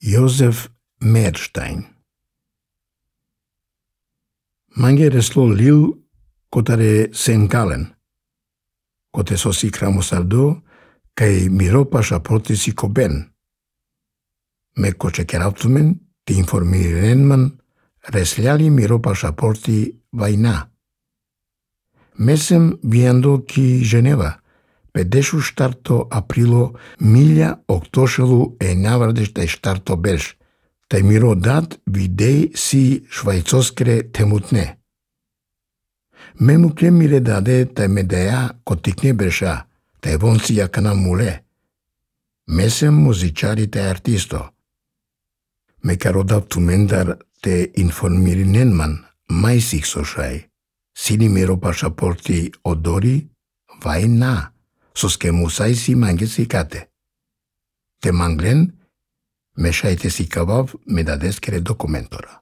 Josef Meerstein. Mange reslo liu cotare Senkalen, cote sosi cramosaldo, cae miro pasaporti sico ben. Me coce kerautumen, ti informirenman, resliali miro pasaporti vaina. Mesem viendo ki Geneva, pedešu starto aprilo milja octošelu enavardeš te starto belš, te miro dat videi si švajcoskre temutne. Memukle mire dade te medea kotikne belša, te vonsi jakana mule. Mesem muziciari te artisto. Me caro daptumendar te informirinenman maisik sošai. Sini miro pasaporti odori, vai na, soske musai si mangesi kate. Te manglen, me šaite si kavav me dadeskere dokumentora.